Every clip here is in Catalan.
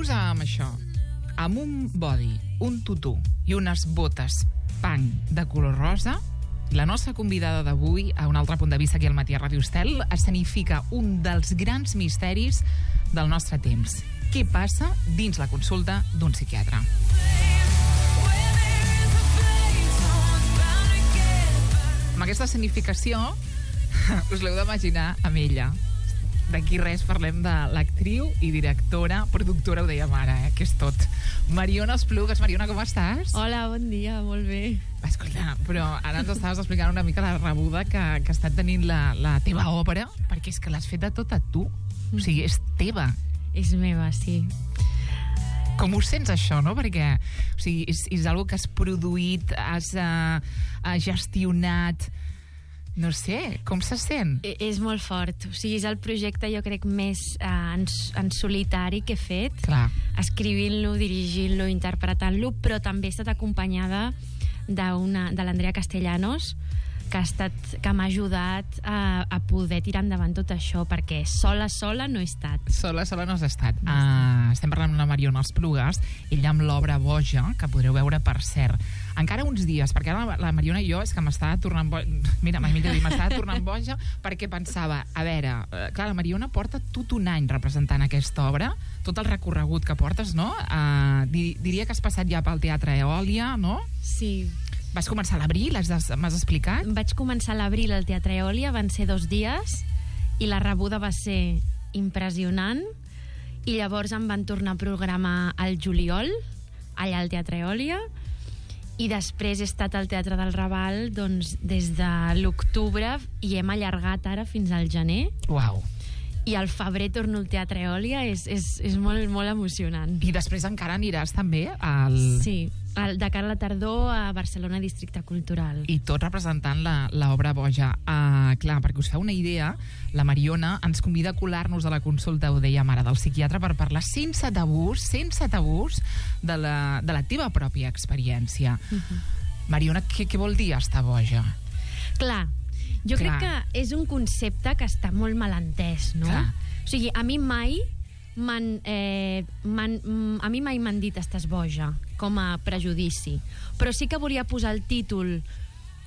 Imagineu-vos amb això, amb un body, un tutú i unes botes punk de color rosa. La nostra convidada d'avui, a un altre punt de vista aquí al Matí a Ràdio Estel, escenifica un dels grans misteris del nostre temps. Què passa dins la consulta d'un psiquiatre? Amb aquesta escenificació us l'heu d'imaginar amb ella. D'aquí res parlem de l'actriu i directora, productora, ho dèiem ara, que és tot. Mariona Esplugues. Mariona, com estàs? Hola, bon dia, molt bé. Escolta, però ara ens estaves explicant una mica la rebuda que està tenint la teva obra, perquè és que l'has feta tota tu. O sigui, és teva. És meva, sí. Com ho sents, això, no? Perquè o sigui, és algo que has produït, has gestionat. No sé, com se sent? És molt fort. O sigui, és el projecte, jo crec, més en solitari que he fet. Clar. Escrivint-lo, dirigint-lo, interpretant-lo, però també he estat acompanyada de l'Andrea Castellanos, que m'ha ajudat a poder tirar endavant tot això, perquè sola no he estat. Sola no has estat. Estem parlant amb la Mariona Esplugues, ella amb l'obra Boja, que podreu veure, per cert, encara uns dies, perquè ara la Mariona i jo és que m'estava tornant boja. Mira, m'estava tornant boja perquè pensava, a veure, clar, la Mariona porta tot un any representant aquesta obra, tot el recorregut que portes, no? Diria que has passat ja pel Teatre Eòlia, no? Sí. Vas començar a l'abril, m'has explicat? Vaig començar a l'abril al Teatre Eòlia, van ser 2 dies, i la rebuda va ser impressionant, i llavors em van tornar a programar al juliol, allà al Teatre Eòlia, i després he estat al Teatre del Raval doncs, des de l'octubre, i hem allargat ara fins al gener. Uau. I al febrer torno al Teatre Eòlia, és molt, molt emocionant. I després encara aniràs també al... Sí, de cara a la tardor a Barcelona Districte Cultural. I tot representant l'obra Boja. Clar, perquè us feu una idea, la Mariona ens convida a colar-nos a la consulta, ho dèiem ara, del psiquiatre, per parlar sense tabús, de la teva pròpia experiència. Mariona, què vol dir estar boja? Clar, jo crec que és un concepte que està molt mal entès, no? Clar. O sigui, a mi mai m'han dit estàs boja, com a prejudici. Però sí que volia posar el títol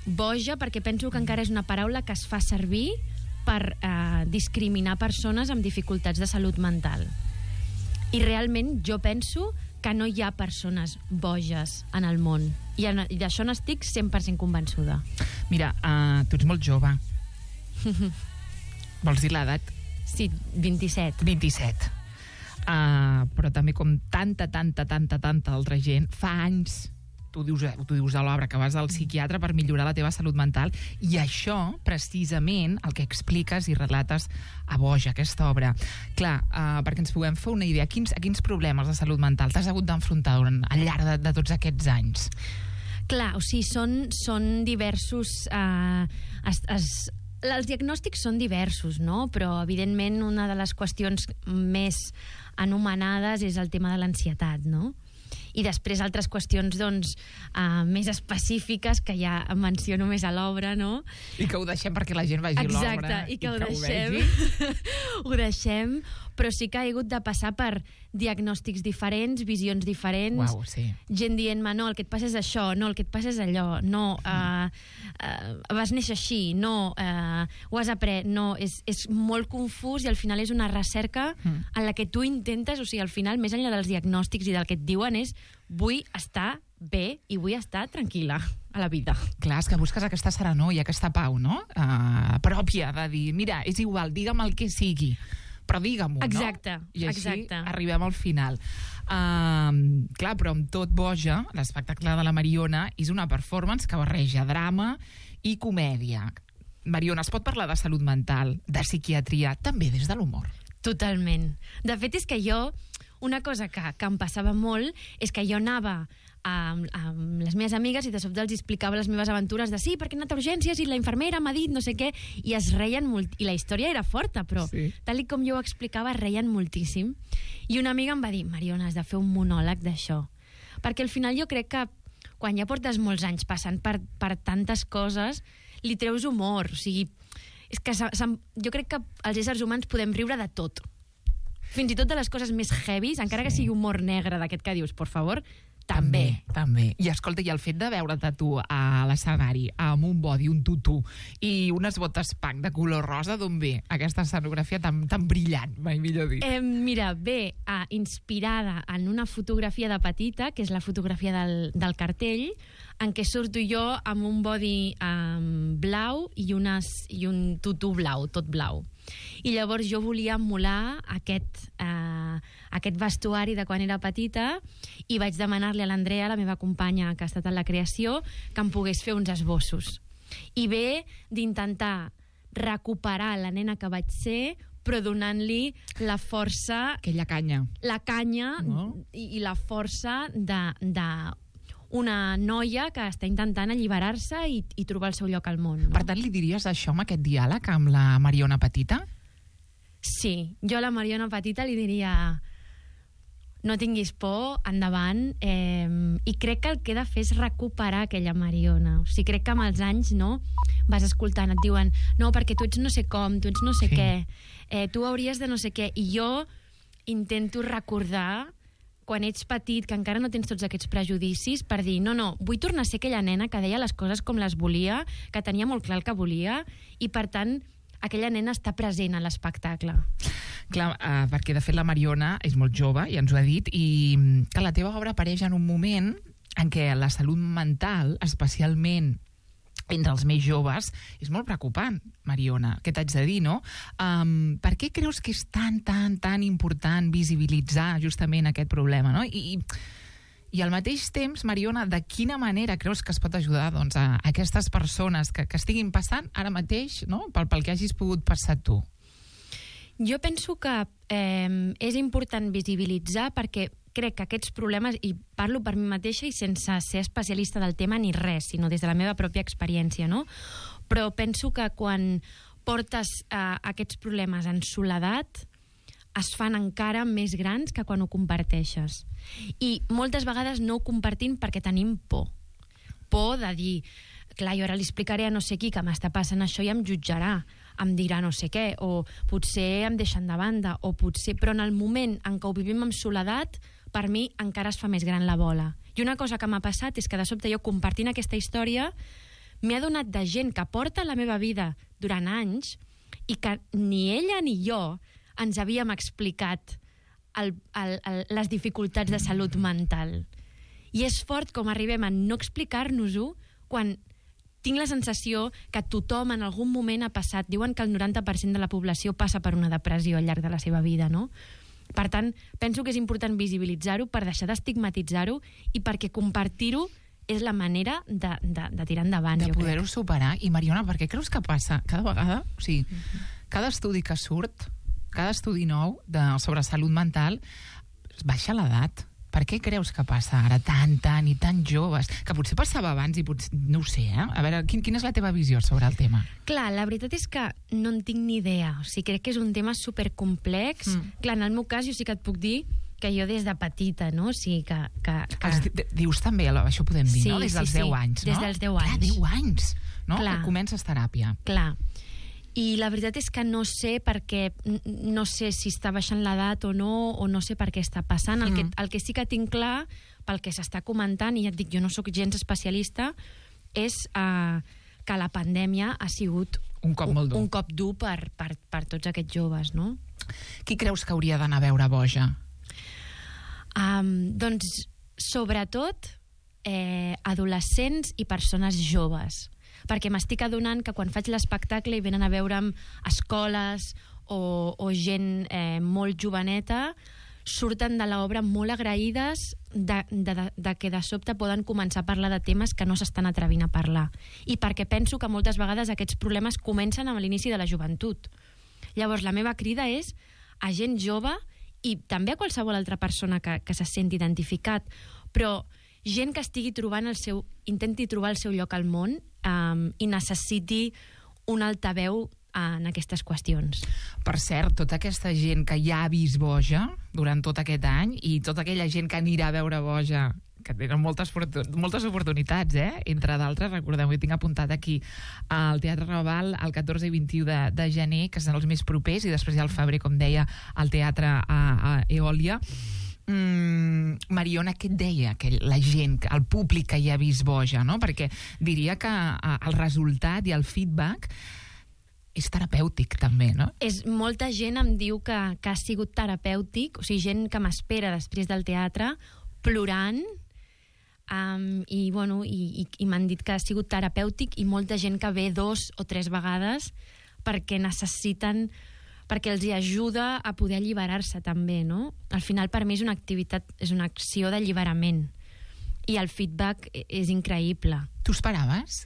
boja perquè penso que encara és una paraula que es fa servir per discriminar persones amb dificultats de salut mental. I realment jo penso que no hi ha persones boges en el món. I d'això n'estic 100% convençuda. Mira, tu ets molt jove. Vols dir l'edat? Sí, 27. 27. Però també com tanta altra gent, fa anys, tu dius a l'obra que vas al psiquiatre per millorar la teva salut mental, i això, precisament, el que expliques i relates a Boja, aquesta obra. Clar, perquè ens puguem fer una idea, a quins problemes de salut mental t'has hagut d'enfrontar al llarg de tots aquests anys? Clar, o sigui, són diversos... Els diagnòstics són diversos, no? Però, evidentment, una de les qüestions més anomenades és el tema de l'ansietat, no? I després altres qüestions, doncs, més específiques, que ja menciono més a l'obra, no? I que ho deixem perquè la gent vegi l'obra. Exacte, i que ho deixem. Ho deixem, però sí que he hagut de passar per diagnòstics diferents, visions diferents. Uau, sí. Gent dient-me, no, el que et passa és això, no, el que et passa és allò, no, vas néixer així, no, ho has après, no, és molt confús i al final és una recerca en la que tu intentes, o sigui, al final, més enllà dels diagnòstics i del que et diuen, és vull estar bé i vull estar tranquil·la a la vida. Clar, és que busques aquesta serenor i aquesta pau, no? Pròpia, de dir, mira, és igual, digue'm el que sigui, però digue-m'ho, exacte, no? I així exacte. Arribem al final. Clar, però amb tot Boja, l'espectacle de la Mariona és una performance que barreja drama i comèdia. Mariona, es pot parlar de salut mental, de psiquiatria, també des de l'humor? Totalment. De fet, és que jo, una cosa que em passava molt és que jo anava amb les meves amigues i de sobte els explicava les meves aventures de sí, perquè he anat a urgències i la infermera m'ha dit no sé què, i es reien molt, i la història era forta, però sí, tal com jo ho explicava es reien moltíssim, i una amiga em va dir, Mariona, has de fer un monòleg d'això, perquè al final jo crec que quan ja portes molts anys passant per tantes coses, li treus humor, o sigui, és que jo crec que els éssers humans podem riure de tot. Fins i tot de les coses més heavies, encara que sigui humor negre d'aquest que dius, por favor, també. I escolta, i el fet de veure't tu a l'escenari amb un body, un tutú i unes botes punk de color rosa, d'on ve aquesta escenografia tan brillant, mai millor dit? Mira, ve inspirada en una fotografia de petita, que és la fotografia del cartell, en què surto jo amb un body blau i un tutú blau, tot blau. I llavors jo volia emular aquest vestuari de quan era petita i vaig demanar-li a l'Andrea, la meva companya que ha estat en la creació, que em pogués fer uns esbossos. I ve d'intentar recuperar la nena que vaig ser, però donant-li la força... Aquella canya. La canya i la força d'una noia que està intentant alliberar-se i trobar el seu lloc al món. No? Per tant, li diries això amb aquest diàleg amb la Mariona Petita? Sí, jo a la Mariona Petita li diria no tinguis por, endavant, i crec que el que he de fer és recuperar aquella Mariona. O sigui, crec que amb els anys, no, vas escoltant, et diuen no, perquè tu ets no sé com, tu ets no sé què, tu hauries de no sé què, i jo intento recordar quan ets petit, que encara no tens tots aquests prejudicis, per dir, no, vull tornar a ser aquella nena que deia les coses com les volia, que tenia molt clar el que volia, i per tant aquella nena està present a l'espectacle. Clar, perquè de fet la Mariona és molt jove, ja ens ho ha dit, i que la teva obra apareix en un moment en què la salut mental, especialment entre els més joves, és molt preocupant, Mariona. Què t'haig de dir, no? Per què creus que és tan important visibilitzar justament aquest problema, no? I al mateix temps, Mariona, de quina manera creus que es pot ajudar doncs, a aquestes persones que estiguin passant ara mateix, no? pel que hagis pogut passar tu? Jo penso que és important visibilitzar perquè crec que aquests problemes, i parlo per mi mateixa i sense ser especialista del tema ni res, sinó des de la meva pròpia experiència, no? Però penso que quan portes aquests problemes en soledat es fan encara més grans que quan ho comparteixes. I moltes vegades no ho compartim perquè tenim por. Por de dir, clar, jo ara li explicaré a no sé qui que m'està passant això i em jutjarà, em dirà no sé què, o potser em deixen de banda, o potser... Però en el moment en què ho vivim amb soledat, per mi encara es fa més gran la bola. I una cosa que m'ha passat és que de sobte jo compartint aquesta història m'he adonat de gent que porta la meva vida durant anys i que ni ella ni jo ens havíem explicat les dificultats de salut mental. I és fort com arribem a no explicar-nos-ho quan tinc la sensació que tothom en algun moment ha passat. Diuen que el 90% de la població passa per una depressió al llarg de la seva vida, no? Per tant, penso que és important visibilitzar-ho per deixar d'estigmatitzar-ho i perquè compartir-ho és la manera de tirar endavant. De poder-ho superar. I Mariona, per què creus que passa cada vegada? O sigui, cada estudi que surt, cada estudi nou sobre salut mental, baixa l'edat. Per què creus que passa ara tan i tan joves? Que potser passava abans i potser... No ho sé, eh? A veure, quina és la teva visió sobre el tema? Clar, la veritat és que no en tinc ni idea. O sigui, crec que és un tema supercomplex. Clar, en el meu cas jo sí que et puc dir que jo des de petita, no? O sigui, que... Dius també, això ho podem dir, sí, no? Des dels 10 anys, no? Des dels 10 anys. Clar, 10 anys, no? Clar. Que comences teràpia. Clar. I la veritat és que no sé perquè no sé si està baixant l'edat o no sé per què està passant. El que sí que tinc clar, pel que s'està comentant, i ja et dic, jo no sóc gens especialista, és que la pandèmia ha sigut un cop molt dur. Un cop dur per tots aquests joves, no? Qui creus que hauria d'anar a veure Boja? Doncs, sobretot, adolescents i persones joves. Perquè m'estic adonant que quan faig l'espectacle i venen a veure'm escoles o gent molt joveneta, surten de l'obra molt agraïdes de que de sobte poden començar a parlar de temes que no s'estan atrevint a parlar. I perquè penso que moltes vegades aquests problemes comencen amb l'inici de la joventut. Llavors, la meva crida és a gent jove i també a qualsevol altra persona que se senti identificat, però gent que estigui intenti trobar el seu lloc al món i necessiti un altaveu en aquestes qüestions. Per cert, tota aquesta gent que ja ha vist Boja durant tot aquest any i tota aquella gent que anirà a veure Boja que tenen moltes oportunitats, entre d'altres, recordeu, jo tinc apuntat aquí al Teatre Raval el 14 i 21 de gener, que són els més propers, i després ja al febrer, com deia, al Teatre a Eòlia. Mariona, què et deia la gent, el públic que hi ha vist Boja, no? Perquè diria que el resultat i el feedback és terapèutic, també, no? Molta gent em diu que ha sigut terapèutic, o sigui, gent que m'espera després del teatre, plorant, i m'han dit que ha sigut terapèutic, i molta gent que ve 2 o 3 vegades perquè necessiten, perquè els hi ajuda a poder alliberar-se també, no? Al final, per mi és una activitat, és una acció d'alliberament, i el feedback és increïble. Tu esperaves?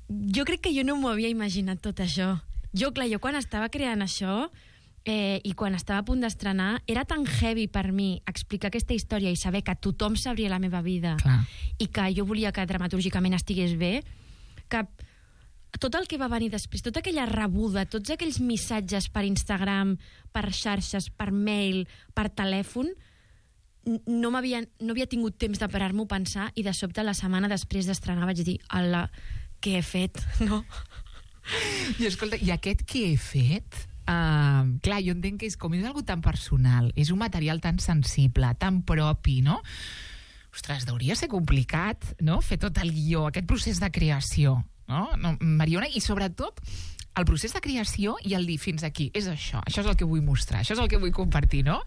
Jo crec que jo no m'ho havia imaginat tot això. Jo quan estava creant això i quan estava a punt d'estrenar, era tan heavy per mi explicar aquesta història i saber que tothom sabria la meva vida. Clar. I que jo volia que dramatúrgicament estigués bé, que tot el que va venir després, tota aquella rebuda, tots aquells missatges per Instagram, per xarxes, per mail, per telèfon, no havia tingut temps de parar-m'ho a pensar, i de sobte la setmana després d'estrenar vaig dir, ala, què he fet, no? I escolta, i aquest què he fet? Clar, jo entenc que és algo tan personal, és un material tan sensible, tan propi, no? Ostres, hauria ser complicat, no?, fer tot el guió, aquest procés de creació, no, Mariona? I sobretot el procés de creació i el dir fins aquí, és això és el que vull mostrar, això és el que vull compartir, no?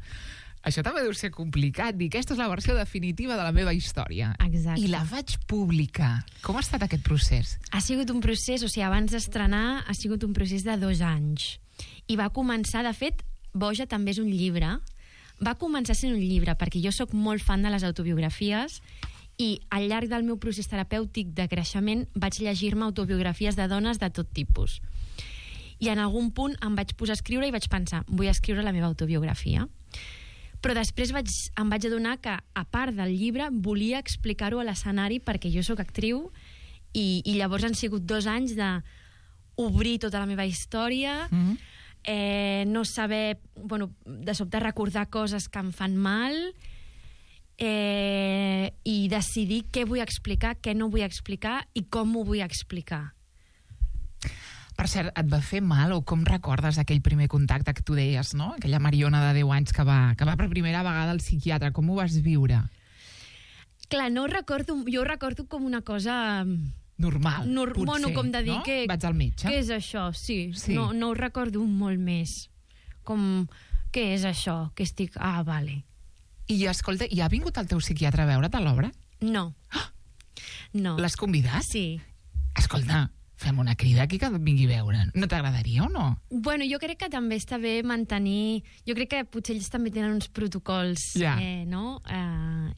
Això també deu ser complicat, dir aquesta és la versió definitiva de la meva història. Exacte. I la vaig publicar. Com ha estat aquest procés? Ha sigut un procés, o sigui, abans d'estrenar ha sigut un procés de 2 anys. I va començar, de fet, Boja també és un llibre. Va començar sent un llibre, perquè jo sóc molt fan de les autobiografies, i al llarg del meu procés terapèutic de creixement vaig llegir-me autobiografies de dones de tot tipus. I en algun punt em vaig posar a escriure i vaig pensar, vull escriure la meva autobiografia. Però després em vaig adonar que, a part del llibre, volia explicar-ho a l'escenari, perquè jo sóc actriu, i llavors han sigut 2 anys d'obrir tota la meva història, no saber, de sobte recordar coses que em fan mal, i decidir què vull explicar, què no vull explicar i com ho vull explicar. Per cert, et va fer mal, o com recordes aquell primer contacte que tu deies, no? Aquella Mariona de 10 anys que va per primera vegada al psiquiatre. Com ho vas viure? Clar, no ho recordo, jo ho recordo com una cosa normal, potser, bueno, com de dir, no? que vaig al metge. Què és això? Sí. No ho recordo molt més. Com, què és això? Que estic... Ah, vale. I escolta, i ha vingut el teu psiquiatre a veure't a l'obra? No. No. L'has convidat? Sí. Escolta, fem una crida aquí que et vingui a veure. No t'agradaria o no? Bueno, jo crec que també està bé mantenir... Jo crec que potser ells també tenen uns protocols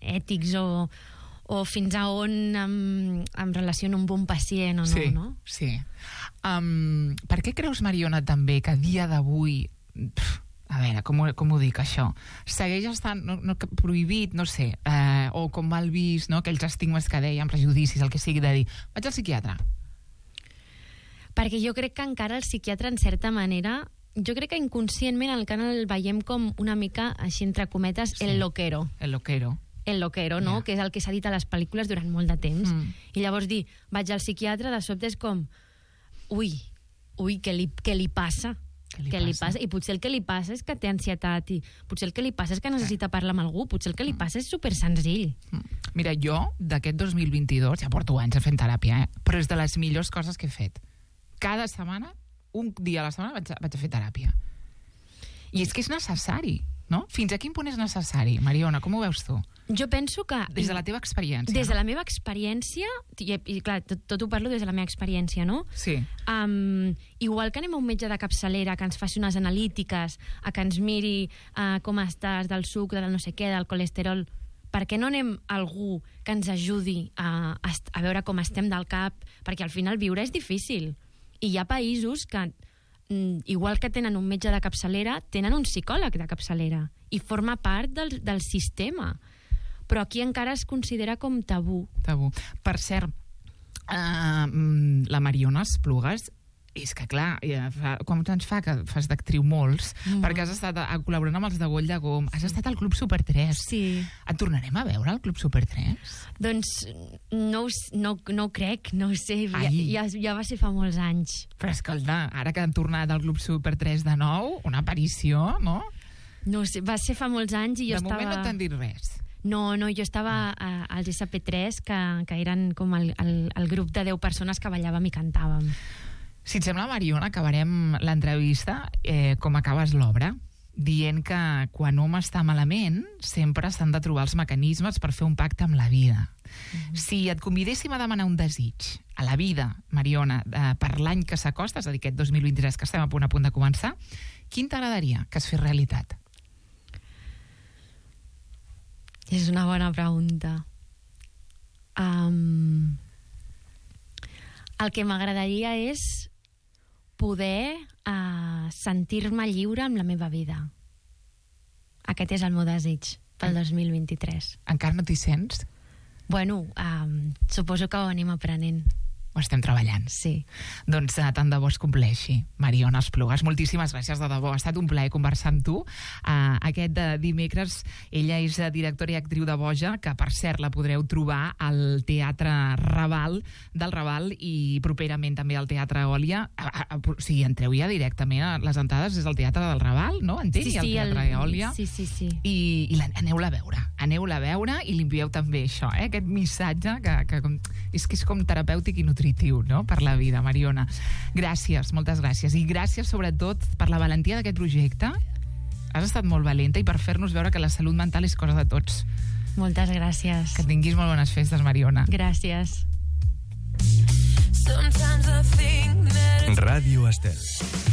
ètics o fins a on em relaciono amb un pacient o no, no? Sí. Per què creus, Mariona, també que a dia d'avui... A veure, com ho dic, això? Segueix estant prohibit, no sé, o com mal vist, no? Aquells estigmes que dèiem, prejudicis, el que sigui, de dir, vaig al psiquiatre. Perquè jo crec que encara el psiquiatre, en certa manera, jo crec que inconscientment encara el veiem com una mica, així entre cometes, el loquero. El loquero, no? Que és el que s'ha dit a les pel·lícules durant molt de temps. I llavors dir, vaig al psiquiatre, de sobte és com, ui, què li passa? Què li passa? I potser el que li passa és que té ansietat, i potser el que li passa és que necessita parlar amb algú, potser el que li passa és super senzill. Mira, jo, d'aquest 2022, ja porto anys fent teràpia, però és de les millors coses que he fet. Cada setmana, un dia a la setmana, vaig a fer teràpia. I és que és necessari, no? Fins a quin punt és necessari? Mariona, com ho veus tu? Jo penso que... Des de la teva experiència. Des de la meva experiència, i clar, tot ho parlo des de la meva experiència, no? Sí. Igual que anem a un metge de capçalera que ens faci unes analítiques, a que ens miri com estàs del sucre, del no sé què, del colesterol, per què no anem a algú que ens ajudi a veure com estem del cap? Perquè al final viure és difícil. I hi ha països que, igual que tenen un metge de capçalera, tenen un psicòleg de capçalera i forma part del sistema. Però aquí encara es considera com tabú. Per cert, la Mariona Esplugues És que, clar, quants anys fa que fas d'actriu? Molts, perquè has estat col·laborant amb els de Goll de Gom, has estat al Club Super 3. Sí. Et tornarem a veure al Club Super 3? Doncs no ho crec, no ho sé, ja va ser fa molts anys. Però escolta, ara que han tornat al Club Super 3 de nou, una aparició, no? No ho sé, va ser fa molts anys i jo estava... De moment no t'han dit res. No, jo estava als SP3, que eren com el grup de 10 persones que ballàvem i cantàvem. Si et sembla, Mariona, acabarem l'entrevista com acabes l'obra, dient que quan hom està malament sempre s'han de trobar els mecanismes per fer un pacte amb la vida. Si et convidéssim a demanar un desig a la vida, Mariona, per l'any que s'acosta, és a dir, aquest 2023 que estem a punt de començar, quin t'agradaria que es fes realitat? És una bona pregunta. El que m'agradaria és poder sentir-me lliure amb la meva vida. Aquest és el meu desig pel 2023. Encara no t'hi sents? Bueno, suposo que ho anem aprenent. Ho estem treballant. Sí. Doncs tant de bo es compleixi. Mariona Esplugas, moltíssimes gràcies, de debò. Ha estat un plaer conversar amb tu. Aquest dimecres, ella és directora i actriu de Boja, que per cert la podreu trobar al Teatre Raval del Raval i properament també al Teatre Òlia. O sigui, entreu ja directament a les entrades des del Teatre del Raval, no? Entenc? Sí, I al Teatre Òlia. Sí. I aneu-la a veure. Aneu-la a veure i li envieu també això, aquest missatge que és com terapèutic i nutritiu, no?, per la vida, Mariona. Gràcies, moltes gràcies. I gràcies, sobretot, per la valentia d'aquest projecte. Has estat molt valenta i per fer-nos veure que la salut mental és cosa de tots. Moltes gràcies. Que tinguis molt bones festes, Mariona. Gràcies. Ràdio Estel.